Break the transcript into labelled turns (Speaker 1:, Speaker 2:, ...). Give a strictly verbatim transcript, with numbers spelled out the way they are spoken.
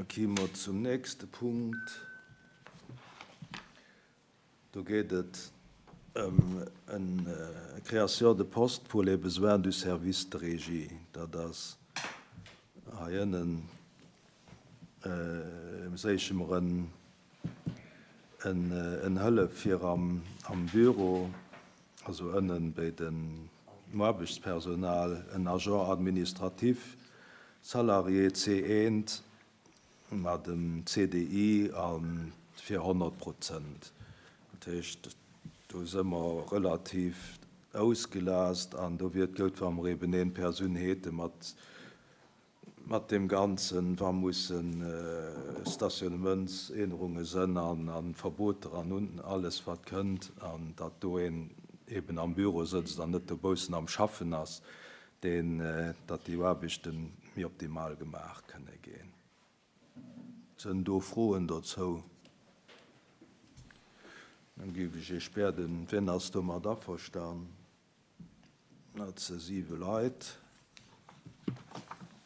Speaker 1: Gi mer zum nächste Punkt. Do geet et ëm eng Création de poste pour les besoins du service de régie. Dat ass hei ënnen, séiche mer en en Hëllef fir am am Büro, also ënnen bei den Aarbechtspersonal, en Agent administratif salarié C eent mat dem C D I a fir honnert Prozent. Dat heescht, do si mer relativ ausgelaascht an do wier et gutt, wa mer eben een Persoun hätte mat mat deem Ganzen, wa mussen Stationnementsännerunge sënn an an Verboter an un alles wat kënnt, an datt do een eben am Büro sëtzt an net dobaussen am Schaffen ass, deen datt déi Aarbechte méi optimal gemaach kënne ginn. Sënn do Froen dozou? Dann géif ech Iech bieden, wien ass domat averstan? Dat si siwe Leit.